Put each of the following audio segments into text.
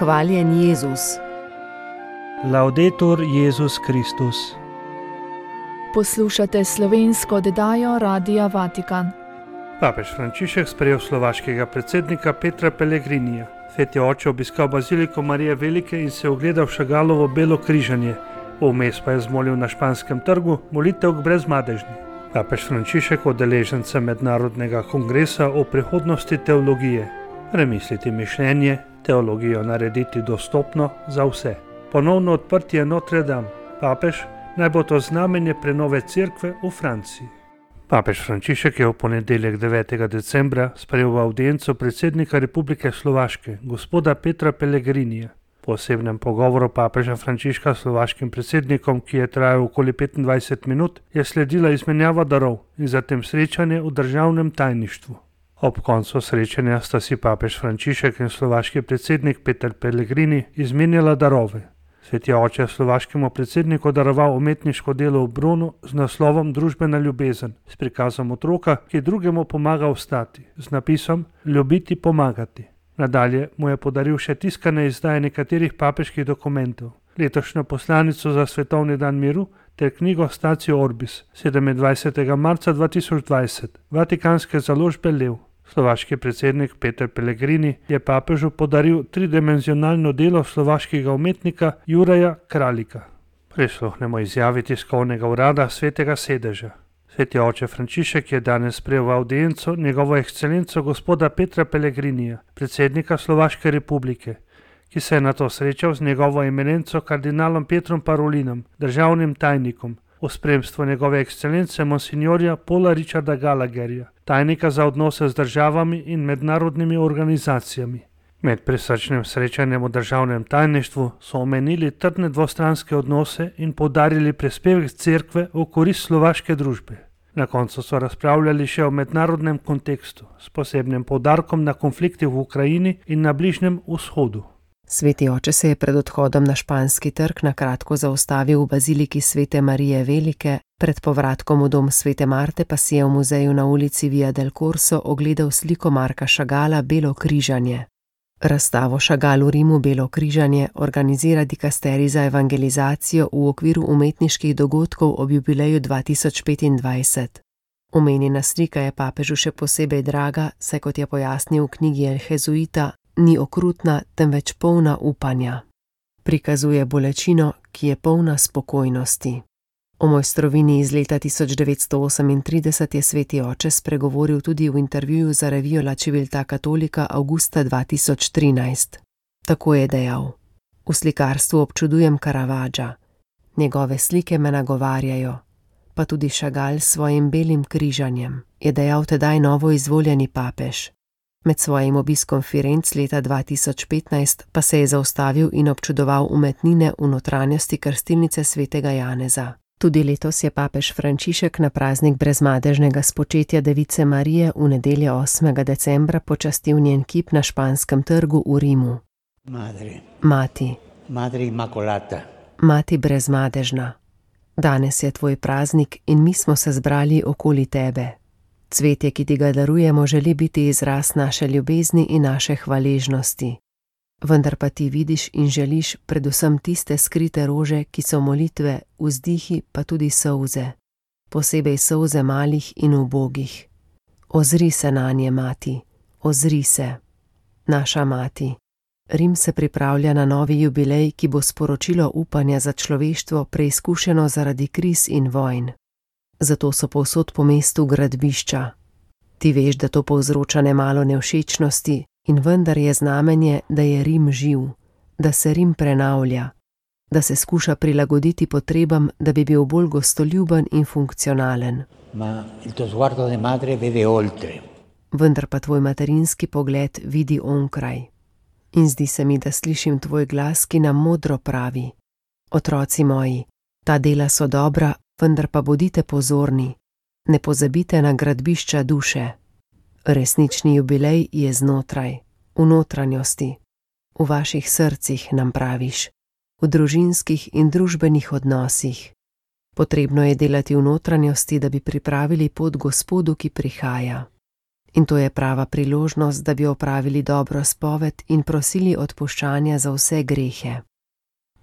Hvaljen Jezus. Laudetur Jezus Kristus. Poslušate slovensko oddajo Radia Vatikan. Papež Frančišek sprejel slovaškega predsednika Petra Pellegrinija. Sveti oče obiskal baziliko Marije Velike in se ogledal Šagalovo belo križanje. Vmes pa je zmolil na Španskem trgu molitev k Brezmadežni. Papež Frančišek udeleženca mednarodnega kongresa o prihodnosti teologije. Premisliti mišljenje, teologijo narediti dostopno za vse. Ponovno odprtje Notre Dame. Papež, naj bo to znamenje prenove cerkve v Franciji. Papež Frančišek je v ponedeljek 9. decembra sprejel v avdienco predsednika Republike Slovaške, gospoda Petra Pellegrinija. Po osebnem pogovoru papeža Frančiška s slovaškim predsednikom, ki je trajal okoli 25 minut, je sledila izmenjava darov in zatem srečanje v državnem tajništvu. Ob koncu srečanja sta si papež Frančišek in slovaški predsednik Peter Pellegrini izmenjala darove. Sveti oče slovaškemu predsedniku daroval umetniško delo v bronu z naslovom Družbena ljubezen, s prikazom otroka, ki drugemu pomaga vstati, z napisom Ljubiti, pomagati. Nadalje mu je podaril še tiskane izdaje nekaterih papeških dokumentov, letošnjo poslanico za svetovni dan miru ter knjigo Statio Orbis 27. marca 2020, vatikanske založbe Lev. Slovaški predsednik Peter Pellegrini je papežu podaril tridimenzionalno delo slovaškega umetnika Juraja Kralika. Prisluhnemo izjavi tiskovnega urada Svetega sedeža. Sveti oče Frančišek je danes sprejel v avdienco njegovo ekscelenco gospoda Petra Pellegrinija, predsednika Slovaške republike, ki se je nato srečal z njegovo eminenco kardinalom Petrom Parolinom, državnim tajnikom, v spremstvu njegove ekscelence monsignorja Paula Richarda Gallagherja, tajnika za odnose z državami in mednarodnimi organizacijami. Med prisrčnim srečanjem v državnem tajništvu so omenili trdne dvostranske odnose in poudarili prispevek cerkve v korist slovaške družbe. Na koncu so razpravljali še o mednarodnem kontekstu, s posebnim poudarkom na konflikti v Ukrajini in na Bližnjem vzhodu. Sveti oče se je pred odhodom na Španski trg na kratko zaustavil v baziliki Svete Marije Velike, pred povratkom v dom Svete Marte pa si je v muzeju na ulici Via del Corso ogledal sliko Marka Šagala Belo križanje. Razstavo Šagal v Rimu Belo križanje organizira dikasterij za evangelizacijo v okviru umetniških dogodkov ob jubileju 2025. Omenjena slika je papežu še posebej draga, saj kot je pojasnil v knjigi El Jezuita, ni okrutna, temveč polna upanja. Prikazuje bolečino, ki je polna spokojnosti. O mojstrovini iz leta 1938 je sveti oče spregovoril tudi v intervjuju za revijo La Civiltà Cattolica avgusta 2013. Tako je dejal: V slikarstvu občudujem Caravaggia. Njegove slike me nagovarjajo, pa tudi Šagal s svojim belim križanjem, je dejal tedaj novo izvoljeni papež. Med svojim obiskom Firenc leta 2015 pa se je zaustavil in občudoval umetnine v notranjosti krstilnice svetega Janeza. Tudi letos je papež Frančišek na praznik brezmadežnega spočetja Device Marije v nedeljo 8. decembra počastil njen kip na Španskem trgu v Rimu. Mati Immacolata. Mati brezmadežna. Danes je tvoj praznik in mi smo se zbrali okoli tebe. Cvetje, ki ti ga darujemo, želi biti izraz naše ljubezni in naše hvaležnosti. Vendar pa ti vidiš in želiš predvsem tiste skrite rože, ki so molitve, vzdihi pa tudi solze. Posebej solze malih in ubogih. Ozri se nanje, mati, ozri se. Naša mati. Rim se pripravlja na novi jubilej, ki bo sporočilo upanja za človeštvo preizkušeno zaradi kriz in vojn. Zato so povsod po mestu gradbišča. Ti veš, da to povzroča nemalo nevšečnosti in vendar je znamenje, da je Rim živ, da se Rim prenavlja, da se skuša prilagoditi potrebam, da bi bil bolj gostoljuben in funkcionalen. Vendar pa tvoj materinski pogled vidi onkraj. In zdi se mi, da slišim tvoj glas, ki nam modro pravi: Otroci moji, ta dela so dobra, vendar pa bodite pozorni, ne pozabite na gradbišča duše. Resnični jubilej je znotraj, v notranjosti, v vaših srcih, nam praviš, v družinskih in družbenih odnosih. Potrebno je delati v notranjosti, da bi pripravili pot Gospodu, ki prihaja. In to je prava priložnost, da bi opravili dobro spoved in prosili odpuščanja za vse grehe.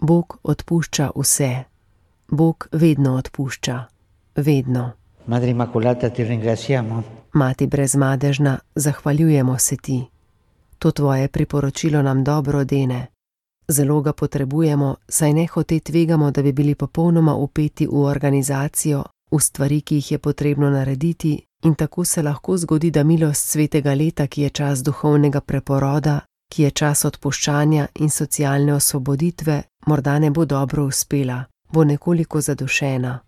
Bog odpušča vse. Bog vedno odpušča. Vedno. Madre Immacolata, ti ringraziamo. Mati brezmadežna, zahvaljujemo se ti. To tvoje priporočilo nam dobro dene. Zelo ga potrebujemo, saj nehote tvegamo, da bi bili popolnoma vpeti v organizacijo, v stvari, ki jih je potrebno narediti, in tako se lahko zgodi, da milost svetega leta, ki je čas duhovnega preporoda, ki je čas odpuščanja in socialne osvoboditve, morda ne bo dobro uspela, bo nekoliko zadušena.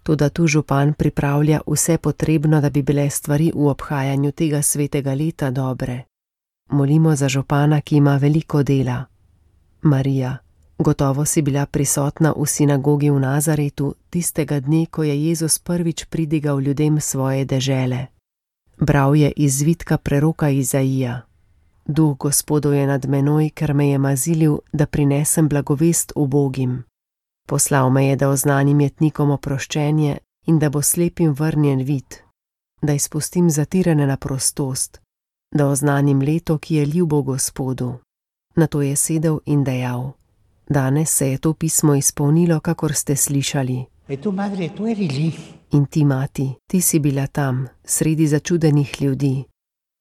Toda tu župan pripravlja vse potrebno, da bi bile stvari v obhajanju tega svetega leta dobre. Molimo za župana, ki ima veliko dela. Marija, gotovo si bila prisotna v sinagogi v Nazaretu tistega dne, ko je Jezus prvič pridigal ljudem svoje dežele. Bral je iz zvitka preroka Izaija. Duh Gospodov je nad menoj, ker me je mazilil, da prinesem blagovest ubogim. Poslal me je, da oznanim jetnikom oproščenje in da bo slepim vrnjen vid, da izpustim zatirane na prostost, da oznanim leto, ki je ljubo Gospodu. Nato je sedel in dejal: Danes se je to pismo izpolnilo, kakor ste slišali. E tu, madre, tu eri lì. In ti, mati, ti si bila tam, sredi začudenih ljudi.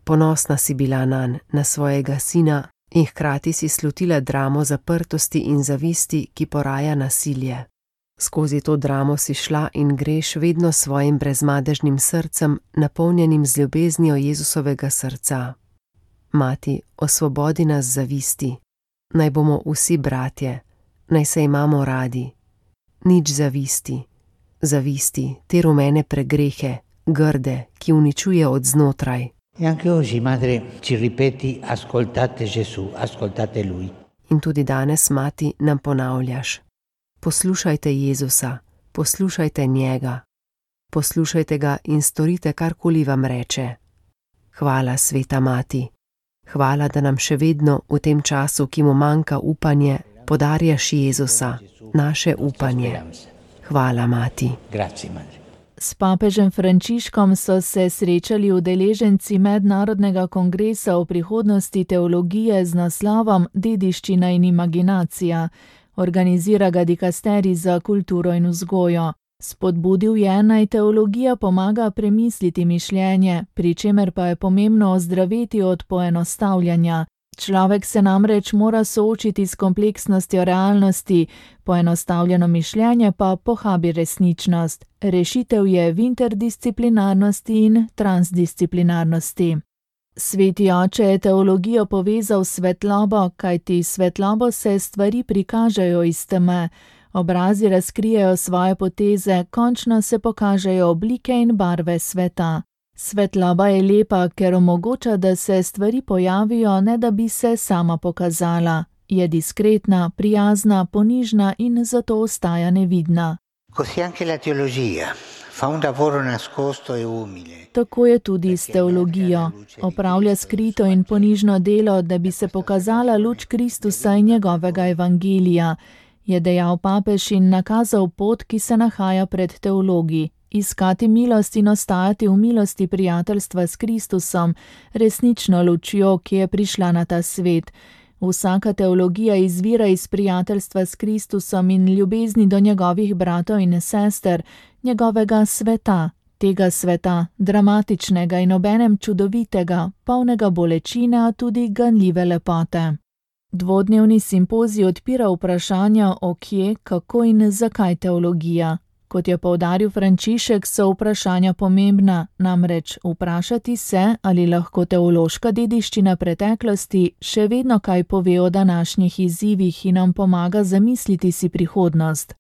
Ponosna si bila nanj, na svojega sina, in hkrati si slutila dramo zaprtosti in zavisti, ki poraja nasilje. Skozi to dramo si šla in greš vedno svojim brezmadežnim srcem, napolnjenim z ljubeznijo Jezusovega srca. Mati, osvobodi nas zavisti. Naj bomo vsi bratje, naj se imamo radi. Nič zavisti. Zavisti, te rumene pregrehe, grde, ki uničuje od znotraj. E anche oggi, madre, ci ripeti: ascoltate Gesù, ascoltate Lui. In tudi danes, mati, nam ponavljaš: poslušajte Jezusa, poslušajte njega. Poslušajte ga in storite, karkoli vam reče. Hvala, sveta mati. Hvala, da nam še vedno v tem času, ki mu manjka upanje, podarjaš Jezusa, naše upanje. Hvala, mati. Grazie, madre. S papežem Frančiškom so se srečali udeleženci Mednarodnega kongresa o prihodnosti teologije z naslovom Dediščina in imaginacija. Organizira ga dikasterij za kulturo in vzgojo. Spodbudil je, naj teologija pomaga premisliti mišljenje, pri čemer pa je pomembno ozdraveti od poenostavljanja. Človek se namreč mora soočiti s kompleksnostjo realnosti, poenostavljeno mišljenje pa pohabi resničnost. Rešitev je v interdisciplinarnosti in transdisciplinarnosti. Sveti oče je teologijo povezal s svetlobo, kajti svetlobo se stvari prikažejo iz teme. Obrazi razkrijejo svoje poteze, končno se pokažejo oblike in barve sveta. Svetloba je lepa, ker omogoča, da se stvari pojavijo, ne da bi se sama pokazala. Je diskretna, prijazna, ponižna in zato ostaja nevidna. Così anche la teologia fa un lavoro nascosto e umile. Tako je tudi s teologijo. Opravlja skrito in ponižno delo, da bi se pokazala luč Kristusa in njegovega evangelija, je dejal papež in nakazal pot, ki se nahaja pred teologi. Iskati milost in ostajati v milosti prijateljstva s Kristusom, resnično lučjo, ki je prišla na ta svet. Vsaka teologija izvira iz prijateljstva s Kristusom in ljubezni do njegovih bratov in sester, njegovega sveta, tega sveta, dramatičnega in obenem čudovitega, polnega bolečine, a tudi ganljive lepote. Dvodnevni simpozij odpira vprašanja o kje, kako in zakaj teologija. Kot je poudaril Frančišek, so vprašanja pomembna, namreč vprašati se, ali lahko teološka dediščina preteklosti še vedno kaj pove o današnjih izzivih in nam pomaga zamisliti si prihodnost.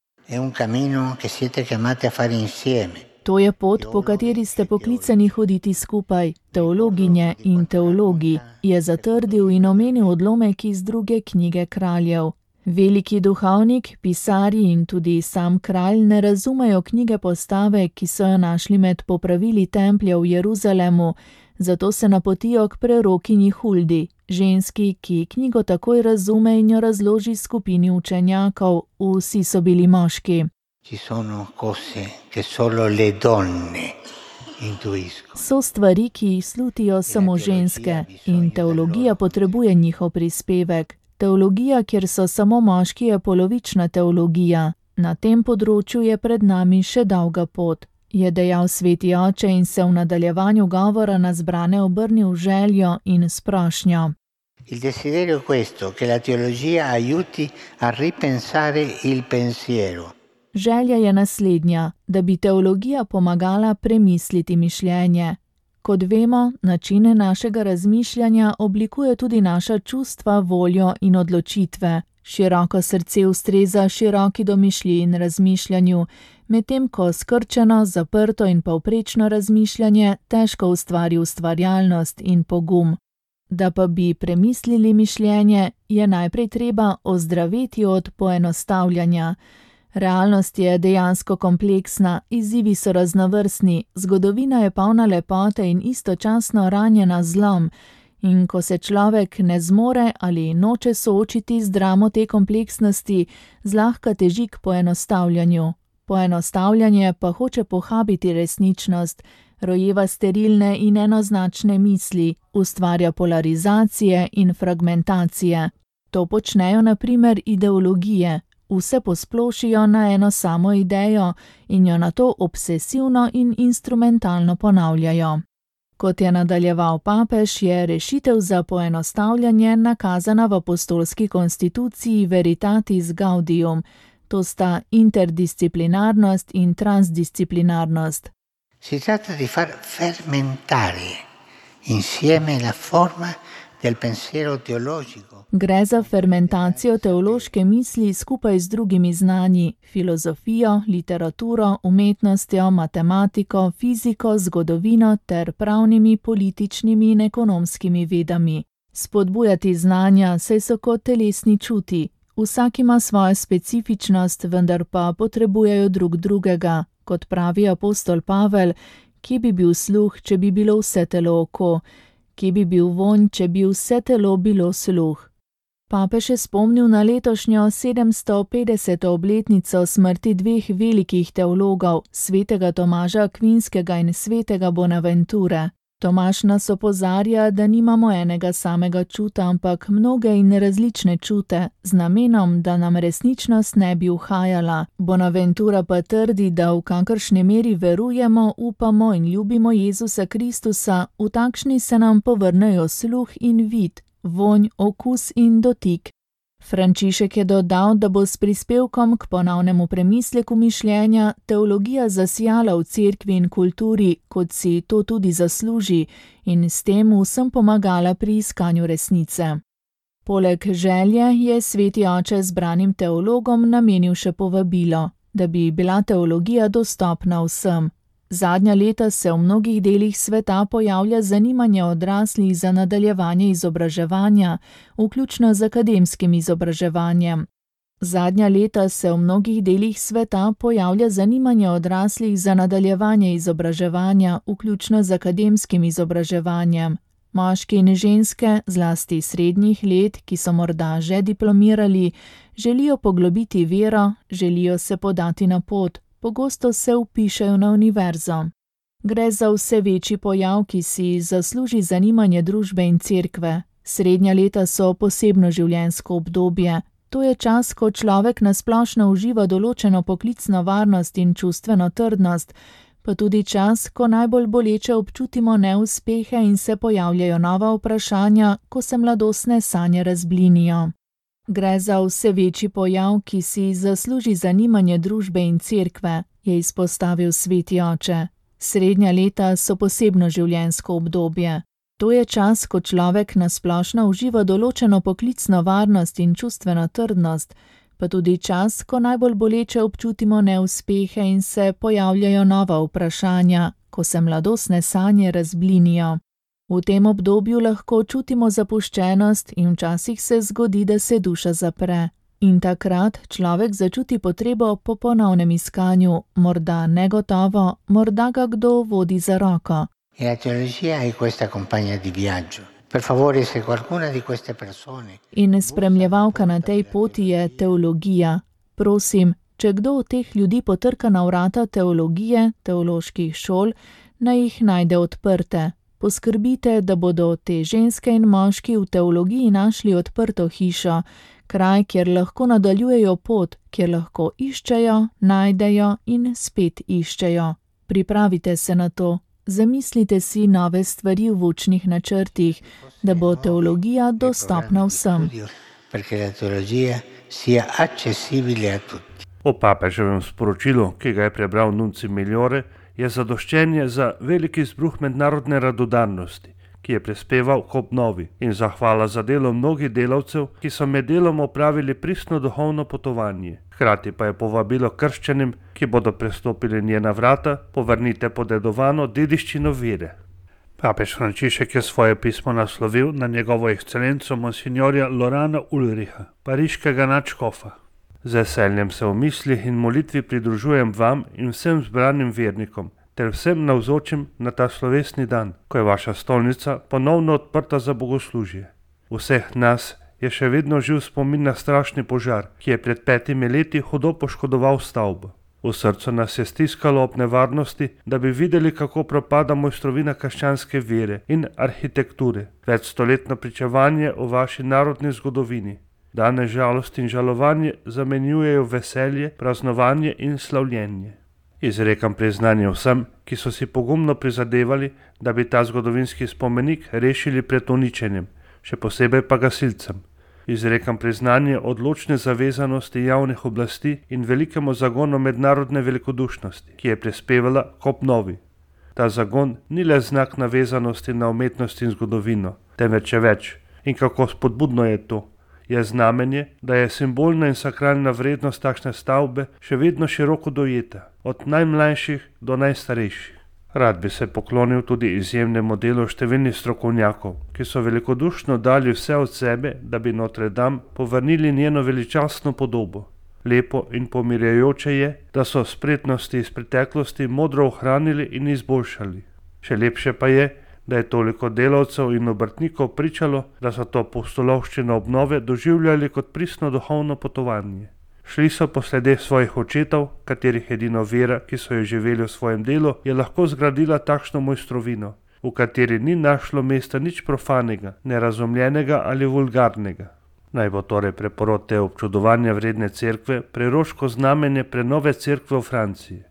To je pot, po kateri ste poklicani hoditi skupaj, teologinje in teologi, je zatrdil in omenil odlomek iz 2. knjige Kraljev. Veliki duhovnik, pisarji in tudi sam kralj ne razumejo knjige Postave, ki so jo našli med popravili templja v Jeruzalemu, zato se napotijo k prerokinji Huldi, ženski, ki knjigo takoj razume in jo razloži skupini učenjakov, vsi so bili moški. Ci sono cose che solo le donne intuisco. So stvari, ki jih slutijo samo ženske in teologija potrebuje njihov prispevek. Teologija, kjer so samo moški, je polovična teologija. Na tem področju je pred nami še dolga pot, je dejal sveti oče in se v nadaljevanju govora na zbrane obrnil v željo in s prošnjo. Il desiderio è questo, che la teologia aiuti a ripensare il pensiero. Želja je naslednja, da bi teologija pomagala premisliti mišljenje. Kot vemo, načine našega razmišljanja oblikuje tudi naša čustva, voljo in odločitve. Široko srce ustreza široki domišljiji in razmišljanju, medtem ko skrčeno, zaprto in povprečno razmišljanje težko ustvari ustvarjalnost in pogum. Da pa bi premislili mišljenje, je najprej treba ozdraveti od poenostavljanja. Realnost je dejansko kompleksna, izzivi so raznovrstni, zgodovina je polna lepote in istočasno ranjena z zlom. In ko se človek ne zmore ali noče soočiti z dramo te kompleksnosti, zlahka teži k poenostavljanju. Poenostavljanje pa hoče pohabiti resničnost, rojeva sterilne in enoznačne misli, ustvarja polarizacije in fragmentacije. To počnejo na primer ideologije. Vse posplošijo na eno samo idejo in jo nato obsesivno in instrumentalno ponavljajo. Kot je nadaljeval papež, je rešitev za poenostavljanje nakazana v apostolski konstituciji Veritatis Gaudium, to sta interdisciplinarnost in transdisciplinarnost. Si tratta di far fermentare insieme la forma del pensiero teologico. Gre za fermentacijo teološke misli skupaj z drugimi znanji, filozofijo, literaturo, umetnostjo, matematiko, fiziko, zgodovino ter pravnimi, političnimi in ekonomskimi vedami. Spodbujati znanja, saj so kot telesni čuti. Vsak ima svojo specifičnost, vendar pa potrebujejo drug drugega. Kot pravi apostol Pavel, kje bi bil sluh, če bi bilo vse telo oko? Kje bi bil vonj, če bi vse telo bilo sluh? Papež je spomnil na letošnjo 750. obletnico smrti dveh velikih teologov, svetega Tomaža Akvinskega in svetega Bonaventure. Tomaž nas opozarja, da nimamo enega samega čuta, ampak mnoge in različne čute, z namenom, da nam resničnost ne bi uhajala. Bonaventura pa trdi, da v kakršni meri verujemo, upamo in ljubimo Jezusa Kristusa, v takšni se nam povrnejo sluh in vid, vonj, okus in dotik. Frančišek je dodal, da bo s prispevkom k ponovnemu premisleku mišljenja teologija zasijala v cerkvi in kulturi, kot si to tudi zasluži, in s tem vsem pomagala pri iskanju resnice. Poleg želje je sveti oče zbranim teologom namenil še povabilo, da bi bila teologija dostopna vsem. Zadnja leta se v mnogih delih sveta pojavlja zanimanje odraslih za nadaljevanje izobraževanja, vključno z akademskim izobraževanjem. Zadnja leta se v mnogih delih sveta pojavlja zanimanje odraslih za nadaljevanje izobraževanja, vključno z akademskim izobraževanjem. Moški in ženske, zlasti srednjih let, ki so morda že diplomirali, želijo poglobiti vero, želijo se podati na pot. Pogosto se vpišejo na univerzo. Gre za vse večji pojav, ki si zasluži zanimanje družbe in cerkve. Srednja leta so posebno življenjsko obdobje. To je čas, ko človek nasplošno uživa določeno poklicno varnost in čustveno trdnost, pa tudi čas, ko najbolj boleče občutimo neuspehe in se pojavljajo nova vprašanja, ko se mladostne sanje razblinijo. Gre za vse večji pojav, ki si zasluži zanimanje družbe in cerkve, je izpostavil sveti oče. Srednja leta so posebno življenjsko obdobje. To je čas, ko človek nasplošno uživa določeno poklicno varnost in čustveno trdnost, pa tudi čas, ko najbolj boleče občutimo neuspehe in se pojavljajo nova vprašanja, ko se mladostne sanje razblinijo. V tem obdobju lahko čutimo zapuščenost in včasih se zgodi, da se duša zapre. In takrat človek začuti potrebo po ponovnem iskanju, morda negotovo, morda ga kdo vodi za roko. E la teologia è questa compagna di viaggio. Per favore, se qualcuna di queste persone... In spremljevalka na tej poti je teologija. Prosim, če kdo od teh ljudi potrka na vrata teologije, teoloških šol, naj jih najde odprte. Poskrbite, da bodo te ženske in moški v teologiji našli odprto hišo, kraj, kjer lahko nadaljujejo pot, kjer lahko iščejo, najdejo in spet iščejo. Pripravite se na to. Zamislite si nove stvari v učnih načrtih, da bo teologija dostopna vsem. O papeževem sporočilu, ki ga je prebral nunci Migliore, je zadoščenje za veliki izbruh mednarodne radodarnosti, ki je prispeval k obnovi, in zahvala za delo mnogih delavcev, ki so med delom opravili pristno duhovno potovanje. Hkrati pa je povabilo krščanim, ki bodo prestopili njena vrata, povrnite podedovano dediščino vere. Papež Frančišek je svoje pismo naslovil na njegovo ekscelenco monsignorja Lorana Ulriha, pariškega nadškofa. Z veseljem se v mislih in molitvi pridružujem vam in vsem zbranim vernikom, ter vsem navzočim na ta slovesni dan, ko je vaša stolnica ponovno odprta za bogoslužje. Vseh nas je še vedno živ spomin na strašni požar, ki je pred 5 leti hudo poškodoval stavbo. V srcu nas je stiskalo ob nevarnosti, da bi videli, kako propada mojstrovina krščanske vere in arhitekture, večstoletno pričevanje o vaši narodni zgodovini. Danes žalost in žalovanje zamenjujejo veselje, praznovanje in slavljenje. Izrekam priznanje vsem, ki so si pogumno prizadevali, da bi ta zgodovinski spomenik rešili pred uničenjem, še posebej pa gasilcem. Izrekam priznanje odločne zavezanosti javnih oblasti in velikemu zagonu mednarodne velikodušnosti, ki je prispevala k obnovi. Ta zagon ni le znak navezanosti na umetnost in zgodovino, temveč je več. In kako spodbudno je to? Je znamenje, da je simbolna in sakralna vrednost takšne stavbe še vedno široko dojeta, od najmlajših do najstarejših. Rad bi se poklonil tudi izjemnemu delu številnih strokovnjakov, ki so velikodušno dali vse od sebe, da bi Notre Dame povrnili njeno veličastno podobo. Lepo in pomirjajoče je, da so spretnosti iz preteklosti modro ohranili in izboljšali. Še lepše pa je, da je toliko delavcev in obrtnikov pričalo, da so to pustolovščino obnove doživljali kot pristno duhovno potovanje. Šli so po sledeh svojih očetov, katerih edino vera, ki so jo živeli v svojem delu, je lahko zgradila takšno mojstrovino, v kateri ni našlo mesta nič profanega, nerazumljenega ali vulgarnega. Naj bo torej preporod te občudovanja vredne cerkve preroško znamenje prenove cerkve v Franciji.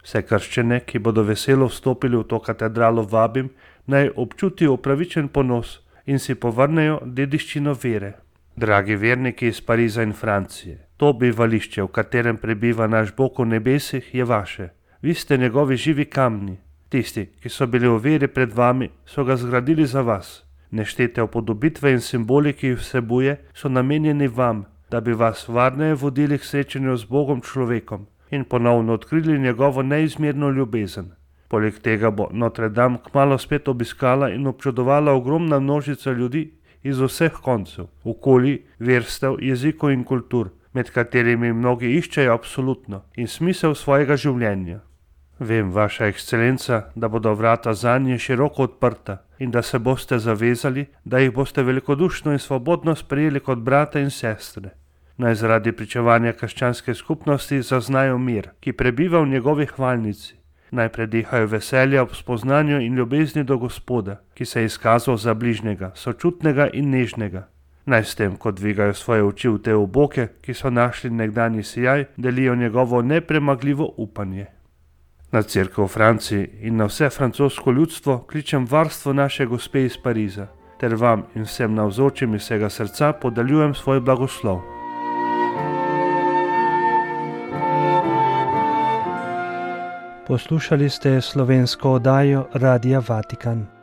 Vse krščane, ki bodo veselo vstopili v to katedralo, vabim, naj občutijo upravičen ponos in si povrnejo dediščino vere. Dragi verniki iz Pariza in Francije, to bivališče, v katerem prebiva naš Bog v nebesih, je vaše. Vi ste njegovi živi kamni. Tisti, ki so bili v veri pred vami, so ga zgradili za vas. Neštete upodobitve in simboli, ki jih vsebuje, so namenjeni vam, da bi vas varneje vodili k srečanju z Bogom človekom in ponovno odkrili njegovo neizmerno ljubezen. Poleg tega bo Notre Dame kmalu spet obiskala in občudovala ogromna množica ljudi iz vseh koncev, okolij, verstev, jezikov in kultur, med katerimi mnogi iščejo absolutno in smisel svojega življenja. Vem, vaša ekscelenca, da bodo vrata zanje široko odprta in da se boste zavezali, da jih boste velikodušno in svobodno sprejeli kot brata in sestre. Naj zaradi pričevanja krščanske skupnosti zaznajo mir, ki prebiva v njegovi hvalnici. Naj predihajo veselja ob spoznanju in ljubezni do Gospoda, ki se je izkazal za bližnjega, sočutnega in nežnega. Naj s tem, ko dvigajo svoje oči v te oboke, ki so našli nekdanji sijaj, delijo njegovo nepremagljivo upanje. Na cerkev v Franciji in na vse francosko ljudstvo kličem varstvo naše gospe iz Pariza, ter vam in vsem navzočim iz vsega srca podaljujem svoj blagoslov. Poslušali ste slovensko oddajo Radia Vatikan.